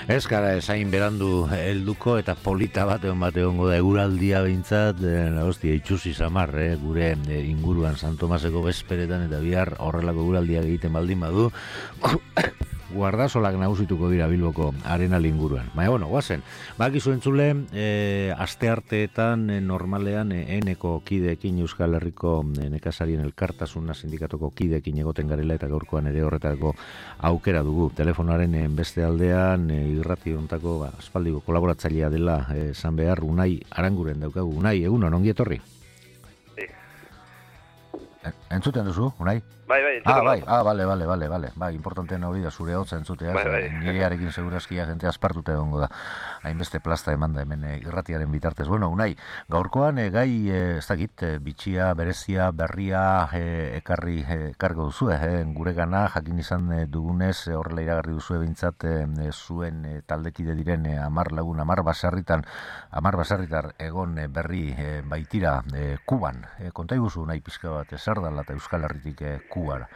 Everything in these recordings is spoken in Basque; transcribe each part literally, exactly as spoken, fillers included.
Ez gara esain berandu helduko eta polita bat egon bat egongo da eguraldia behintzat, e, hostia, itxusi samar, eh, gure e, inguruan San Tomaseko bezperetan eta bihar horrelako eguraldiak egiten baldin badu, guardasolak nagusituko dira Bilboko Arenal inguruan. Baina, bueno, guazen, bakizu entzule, e, aste arteetan e, normalean e, eneko kideekin Euskal Herriko e, nekazarien elkartasuna sindikatoko kideekin egoten garela eta gaurkoan ere horretarako aukera dugu. Telefonoaren e, beste aldean e, irrati hontako ba, aspaldiko kolaboratzailea dela e, esan behar Unai Aranguren daukagu. Unai, egunon, ongi etorri? Sí. Entzuten duzu, Unai? Bai, bai, entzuten. Ah, bai, ah, bale, bale, bale, bale. Bai, importanteena hori da zure hotza entzutea. Bai, bai. Nirearekin segurazkia jente aspartuta egongo da. Hainbeste plasta emanda hemen e, irratiaren bitartez. Bueno, Unai, gaurkoan e, gai, e, ez dakit, e, bitxia, berezia, berria e, ekarri e, kargo duzu, e, gure gana, jakin izan e, dugunez, e, horrela iragarri duzu ebintzat, e, zuen e, taldekide diren e, amar lagun, amar basarritan, amar basarritar egon e, berri e, baitira e, Kuban. E, konta iguzu, Unai, pizka bat, e, zer dala eta Euskal Herritik e, Kubara.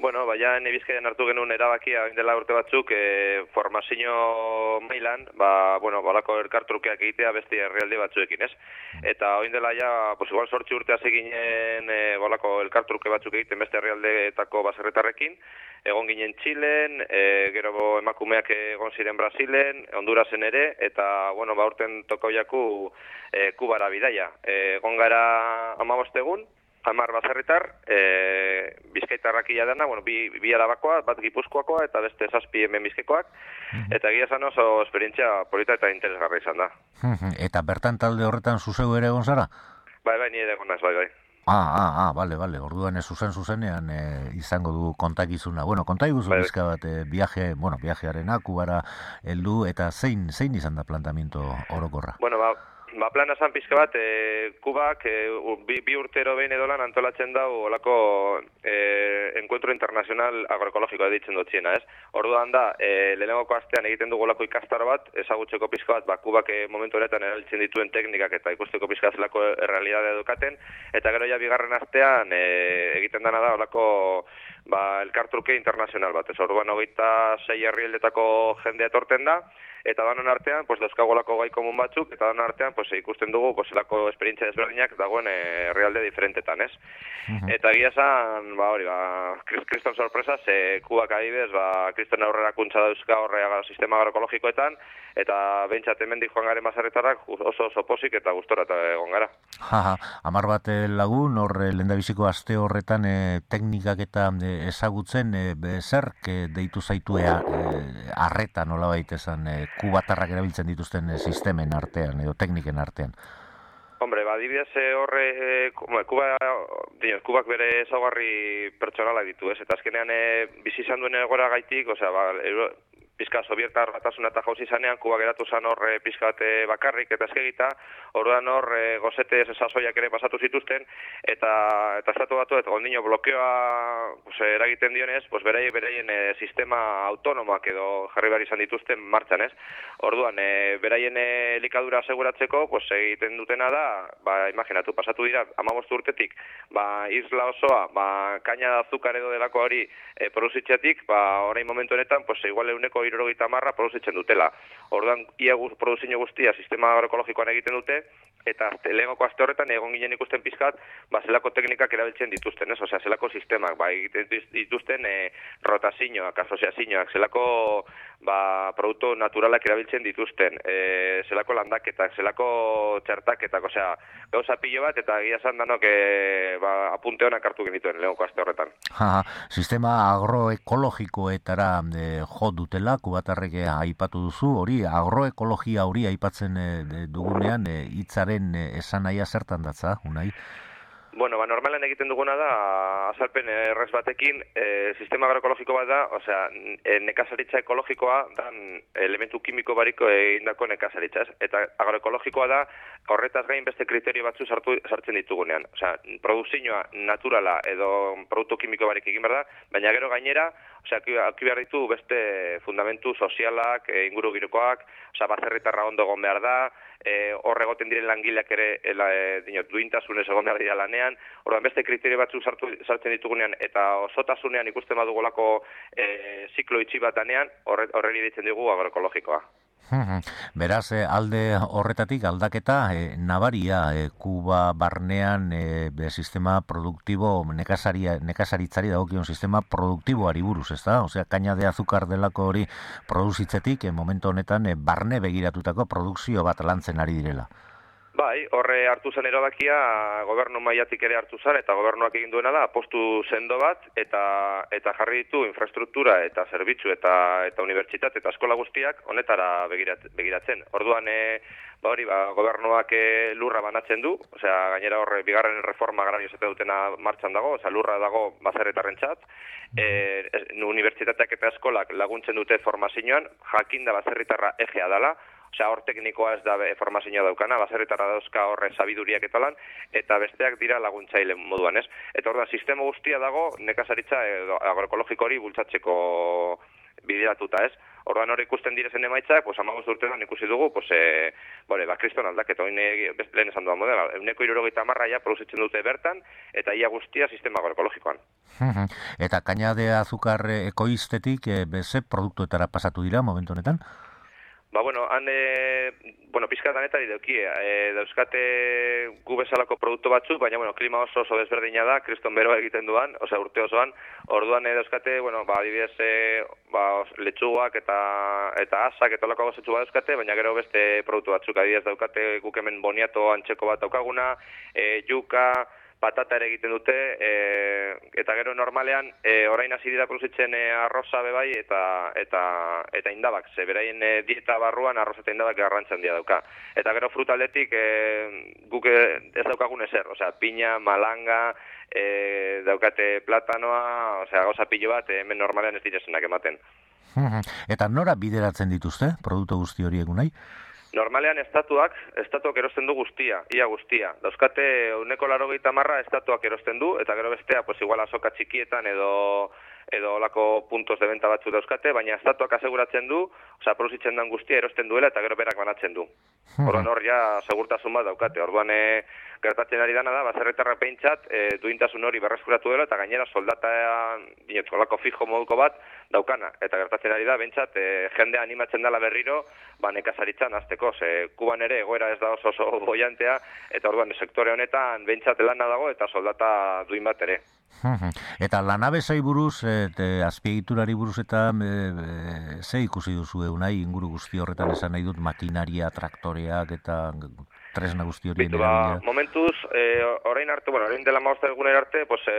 Bueno, baina Bizkaian hartu genuen erabakia orain dela urte batzuk e, formazio mailan, ba, bueno, balako elkartrukeak egitea beste herrialde batzuekin, ez? Eta orain dela ja, pues igual zortzi urte hasi ginen e, balako elkartruke batzuk egiten beste herrialdeetako baserritarrekin, egon ginen Txilen, e, gero emakumeak egon ziren Brasilen, Hondurasen ere, eta, bueno, ba, urten tokau jaku e, Kubara bidaia. E, egon gara hamabost egun, hamar baserritar, e, bizkaitarrak ia dena, bueno, bi, bi arabakoa, bat gipuzkoakoa eta beste zazpi hemen bizkaikoak, eta egia esan oso esperientzia polita eta interesgarra izan da. Eta bertan talde horretan zuzeu ere egon zara? Bai, bai, ni ere egon naiz, bai, bai. Ah, ah, ah, bale, bale, orduan ez zuzen zuzenean e, izango du kontakizuna. Bueno, konta iguzu bai, bizka bat, e, viaje, bueno, viajearena, Kubara heldu, eta zein, zein izan da plantamiento orokorra? Bueno, ba, Ba, plana zan pizka bat, e, Kubak e, bi, bi urtero behin edolan antolatzen dau olako e, enkuentro internazional agroekologikoa ditzen dutziena, ez? Orduan da, e, lehenengoko astean egiten dugu olako ikastaro bat, ezagutzeko pizka bat, ba, Kubak e, momentu honetan erabiltzen dituen teknikak eta ikusteko pizka zelako errealidadea edukaten, eta gero ja bigarren astean e, egiten dana da olako ba, elkartruke internazional bat, ez? Orduan hogeita sei herrialdetako jendea etorten da, eta danon artean, pues, dauzkagolako gai komun batzuk, eta danon artean, pues, ikusten dugu, pues, elako esperientzia desberdinak dagoen herrialde diferentetan, ez? Uh-huh. Eta egia esan, ba, hori, ba, kriston sorpresa, ze Kubak adibidez, ba, kriston aurrerakuntza dauzka horrea sistema agroekologikoetan, eta behintzat hemendik joan garen baserritarrak oso oso posik eta gustora eta egon gara. Jaja, hamar bat lagun, hor lehendabiziko aste horretan e, teknikak eta e, ezagutzen, e, zerk e, deitu zaitua e, arreta nolabait esan e, kubatarrak erabiltzen dituzten e, sistemen artean edo tekniken artean? Hombre, ba, adibidez horre, e, Kuba, dino, Kubak bere ezaugarri pertsonalak ditu, ez? Eta azkenean e, bizi izan duen egora gaitik, osea, ba, euro, pizka Sobietar batasuna eta jauzi zanean, Kuba geratu zan hor e, pizka bat e, bakarrik eta eskegita, orduan hor e, gozete sasoiak ere pasatu zituzten, eta eta estatu batu, eta gondino blokeoa pues, eragiten dionez, pues, beraien, beraien e, sistema autonomoak edo jarri behar izan dituzten martxan, ez? Orduan, e, beraien e, elikadura aseguratzeko, pues, egiten dutena da, ba, imaginatu, pasatu dira, hamabost urtetik, ba, isla osoa, ba, kaina da azukar edo delako hori e, produzitxetik, ba, orain momentu honetan, pues, igual euneko hirurogeita hamarra produzitzen dutela. Orduan, ia guz, produzio guztia sistema agroekologikoan egiten dute, eta lehengoko aste horretan egon ginen ikusten pizkat, ba, zelako teknikak erabiltzen dituzten, ez? Osea, zelako sistemak, ba, egiten dituzten e, rotazioak, asoziazioak, zelako ba, produktu naturalak erabiltzen dituzten, e, zelako landaketak, zelako txertaketak, osea, gauza pilo bat, eta egia esan danok e, ba, apunte honak hartu genituen lehengoko aste horretan. Ha, sistema agroekologikoetara e, jo dutela, kubatarrek aipatu duzu, hori agroekologia hori aipatzen e, dugunean e, hitzaren e, esanahia zertan datza, Unai? Bueno, ba, normalan egiten duguna da, azalpen errez batekin, e, sistema agroekologiko bat da, osea, e, nekazaritza ekologikoa da elementu kimiko bariko egindako nekazaritza, ez? Eta agroekologikoa da, horretaz gain beste kriterio batzu sartu, sartzen ditugunean. Osea, produzioa naturala edo produktu kimiko barik egin behar da, baina gero gainera, osea, aki behar ditu beste fundamentu sozialak, e, inguru girokoak, osea, baserritarra ondo egon behar da, e, hor egoten diren langileak ere ela, e, dinot, duintasunez egon behar dira lanean, orduan beste kriterio batzu sartu, sartzen ditugunean, eta osotasunean ikusten badugulako e, ziklo itxi bat danean, horreli ditzen dugu agroekologikoa. Beraz, alde horretatik aldaketa e, nabaria e, Kuba barnean e, be, sistema produktibo nekasaria, nekasaritzari dagokion sistema produktiboari buruz, ezta? Osea, kaina de azukar delako hori produzitzetik e, momentu honetan e, barne begiratutako produkzio bat lantzen ari direla. Bai, horre hartu zen erabakia, gobernu mailatik ere hartu zen, eta gobernuak egin duena da, apostu sendo bat, eta eta jarri ditu infrastruktura eta zerbitzu eta eta unibertsitate eta eskola guztiak honetara begirat, begiratzen. Orduan, e, ba hori, ba, gobernuak e, lurra banatzen du, osea, gainera horre bigarren reforma agrario zete dutena martxan dago, osea, lurra dago baserritarrentzat, e, unibertsitateak eta eskolak laguntzen dute formazioan, jakinda baserritarra egea dela, osea, hor teknikoa ez da formazioa daukana, baserritarra dauzka horre sabiduriak eta lan, eta besteak dira laguntzaile moduan, ez? Eta orduan, sistema guztia dago nekazaritza edo agroekologiko hori bultzatzeko bideratuta, ez? Orduan hori ikusten direzen emaitzak, pues hamabost urtean ikusi dugu, pues eh bore, ba kriston aldaketa, orain lehen esan duan modela, ehuneko hirurogeita hamar ja produzitzen dute bertan eta ia guztia sistema agroekologikoan. Eta kaina de azukar ekoiztetik e, beze produktuetara pasatu dira momentu honetan? Ba, bueno, han, e, bueno, pizkatan eta ideukie, e, dauzkate gu bezalako produktu batzuk, baina, bueno, klima oso oso desberdina da, kriston beroa egiten duan, osea, urte osoan, orduan e, dauzkate, bueno, ba, adibidez, e, ba, letxuak eta eta asak eta olako gozetxu bat dauzkate, baina gero beste produktu batzuk, adibidez, daukate guk hemen boniato antxeko bat daukaguna, e, juka, patata ere egiten dute, e, eta gero normalean e, orain hasi dira produzitzen e, arroza bebai eta eta eta indabak, ze beraien e, dieta barruan arroza eta indabak garrantzia handia dauka. Eta gero frutaldetik e, guk ez daukagun ezer, osea, piña, malanga, e, daukate platanoa, osea, gauza pilo bat, e, hemen normalean ez direzenak ematen. Eta nora bideratzen dituzte, produktu guzti horiek unai? Normalean estatuak, estatuak erosten du guztia, ia guztia. Dauzkate ehuneko laurogeita hamar estatuak erosten du, eta gero bestea, pues igual azoka txikietan edo edo olako puntos de venta batzu dauzkate, baina estatuak aseguratzen du, osea, produzitzen den guztia erosten duela eta gero berak banatzen du. Orduan hor ja segurtasun bat daukate. Orduan e, gertatzen ari dana da, baserritarrak behintzat, e, duintasun hori berreskuratu dela eta gainera soldata dinot, olako fijo moduko bat daukana. Eta gertatzen ari da, behintzat, e, jendea animatzen dela berriro, ba, nekazaritzan azteko. Ze Kuban ere egoera ez da oso oso boiantea, eta orduan sektore honetan behintzat lana dago eta soldata duin bat ere. Eta lanabesai buruz, eta azpiegiturari buruz eta e, e, ze ikusi duzu eunai inguru guzti horretan esan nahi dut makinaria, traktoreak eta tresna guzti hori ba, momentuz, e, orain arte, bueno, orain dela maosta egunera arte, pues, e,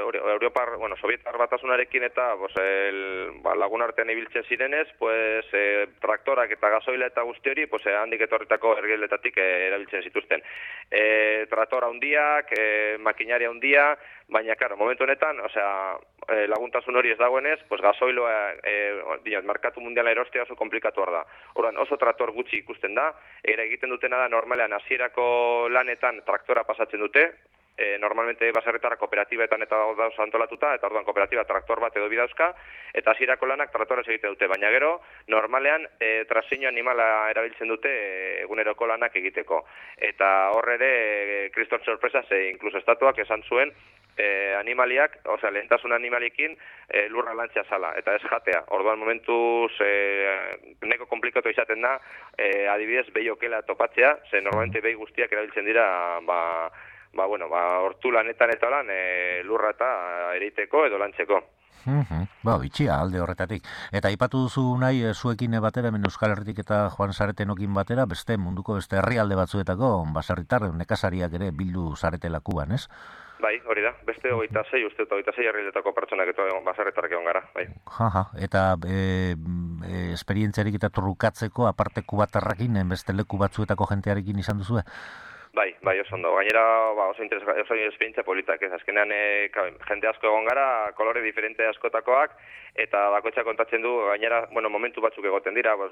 Europar, bueno, Sovietar batasunarekin eta pues, el, ba, lagun artean ibiltzen zirenez, pues, e, traktorak eta gasoila eta guzti hori, pues, e, handik etorritako ergeletatik e, erabiltzen zituzten. E, traktora hundiak, e, makinaria hundia, baina, karo, momentu honetan, osea, e, laguntasun hori ez dagoenez, pues, gasoiloa, e, dinot, markatu mundiala erostea oso komplikatu da. Orduan, oso traktor gutxi ikusten da, era egiten dutena da normalean hasierako lanetan traktora pasatzen dute, e, normalmente baserritarra kooperatibetan eta dauz antolatuta, eta orduan kooperatiba traktor bat edo bidauzka, eta hasierako lanak traktorez egiten dute, baina gero, normalean e, trazio animala erabiltzen dute e, eguneroko lanak egiteko. Eta horre ere, e, kriston sorpresa, ze inkluso estatuak esan zuen, E, animaliak, osea, lehentasun animaliekin e, lurra lantzea zala, eta ez jatea. Orduan momentuz e, neko komplikatu izaten da, e, adibidez, behi okela topatzea, ze normalmente behi guztiak erabiltzen dira, ba, ba, bueno, ba, hortu lanetan eta lan, e, lurra eta ereiteko edo lantzeko. Mm-hmm. Ba, bitxia, alde horretatik. Eta aipatu duzu nahi, zuekin batera, hemen Euskal Herritik eta Joan Saretenokin batera, beste munduko beste herrialde batzuetako, baserritar, nekazariak ere bildu zaretela Kuban, ez? Bai, hori da, beste hogeita sei, uste eta hogeita sei herrialdetako pertsonak eta baserritarrak egon gara, bai. Jaja, eta e, e, esperientziarik eta trukatzeko, aparte kubatarrakin, beste leku batzuetako jentearekin izan duzue? Bai, bai, oso ondo. Gainera, ba, oso interesa, oso esperientzia politak, ez azkenean e, jende asko egon gara, kolore diferente askotakoak, eta bakoitzak kontatzen du, gainera, bueno, momentu batzuk egoten dira, pues,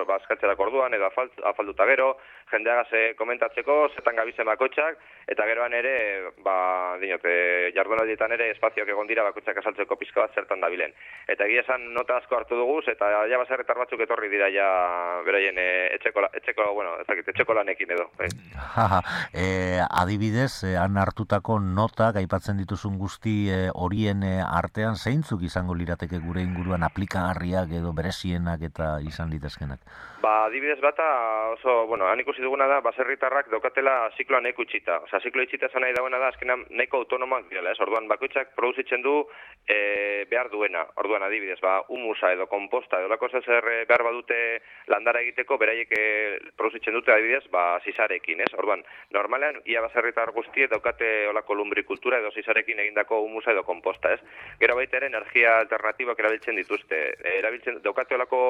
bazkaltzerak orduan, edo afalt, afalduta gero, jendeagaz komentatzeko, zetan gabizen bakoitzak, eta geroan ere, ba, dinote, jardunaldietan ere, espazioak egon dira bakoitzak asaltzeko pizka bat zertan dabilen. Eta egia esan nota asko hartu duguz, eta ja baserritar batzuk etorri dira ja beraien e, etxeko, etxeko, bueno, ezakit, etxeko lanekin edo. Eh. E, adibidez, e, han hartutako notak aipatzen dituzun guzti horien e, artean zeintzuk izango lirateke gure inguruan aplikagarriak edo berezienak eta izan litezkenak? Ba, adibidez bata oso, bueno, han ikusi duguna da, baserritarrak daukatela zikloa nahiko itxita. Osa, ziklo itxita esan nahi dagoena da, azkenan nahiko autonomoak direla, ez? Orduan, bakoitzak produzitzen du e, behar duena. Orduan, adibidez, ba, humusa edo komposta edo lako zer behar badute landara egiteko, beraiek e, produzitzen dute, adibidez, ba, zizarekin, ez? Orduan, normalean, ia baserritar guztiek daukate olako lumbrikultura edo zizarekin egindako humusa edo komposta, ez? Gero baita ere, energia alternatibak erabiltzen dituzte. E, erabiltzen, daukate olako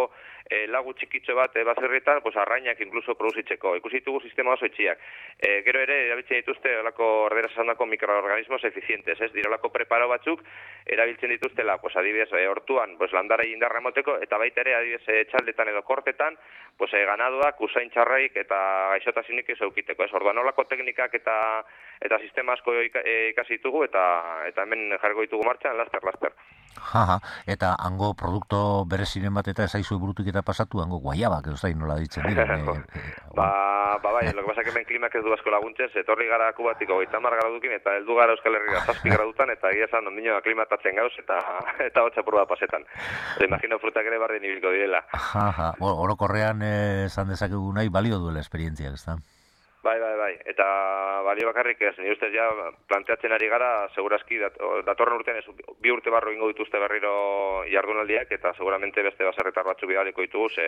e, lagu txikitxo bat, e, baserritan, pues, arrainak inkluso produzitzeko. Ikusi ditugu sistema oso itxiak. E, gero ere, erabiltzen dituzte olako orderaz esandako mikroorganismos efizientes, ez? Dira olako preparo batzuk, erabiltzen dituztela, pues, adibidez, e, hortuan, pues, landara indarra emoteko, eta baita ere, adibidez, e, txaldetan edo kortetan, pues, e, ganadoak, usain txarraik eta gaixotasinik ez eukiteko, ez? Orduan, olako teknikak eta eta sistema asko ikasi ditugu, eta eta hemen jarriko ditugu martxan, laster, laster. Jaja, eta hango produkto bereziren bat eta ezaizu burutik eta pasatu, hango guaiabak, ez da, nola ditzen dira. e, e, ba, ba, bai, lo que pasa que hemen klimak ez du asko laguntzen, etorri gara kubatiko goita hamar gradukin, eta heldu gara Euskal Herria zazpi gradutan, eta egia esan ondino aklimatatzen gauz, eta eta hotza purba pasetan. Eta imagino frutak ere bardin ibilko direla. Jaja, orokorrean esan dezakegu nahi balio duela esperientziak, ez da? Bai, bai, bai. Eta balio bakarrik ez, nire ustez ja planteatzen ari gara, segurazki dat, datorren urtean ez, bi urte barro ingo dituzte berriro jardunaldiak, eta seguramente beste baserritar batzu bidaliko ditugu, ze,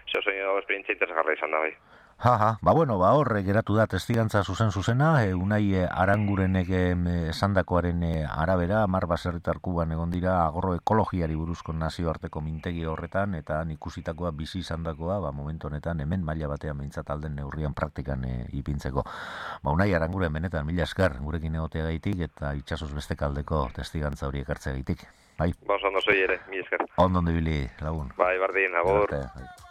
ze oso esperientzia interesgarra izan da, bai. Jaja, ba bueno, ba horre geratu da testigantza zuzen zuzena, e, Unai e, Arangurenek esandakoaren e, arabera, hamar baserritar Kuban egon dira agorro ekologiari buruzko nazioarteko mintegi horretan, eta ikusitakoa bizi izandakoa, ba momentu honetan hemen maila batean behintzat alden neurrian praktikan e, ipintzeko. Ba Unai Aranguren benetan mila esker gurekin egoteagaitik eta itsasoz beste kaldeko testigantza hori ekartzeagaitik. Bai. Ba, oso ondo zoi ere, mila esker. Ondo ibili lagun. Bai, bardin, agur. Bai.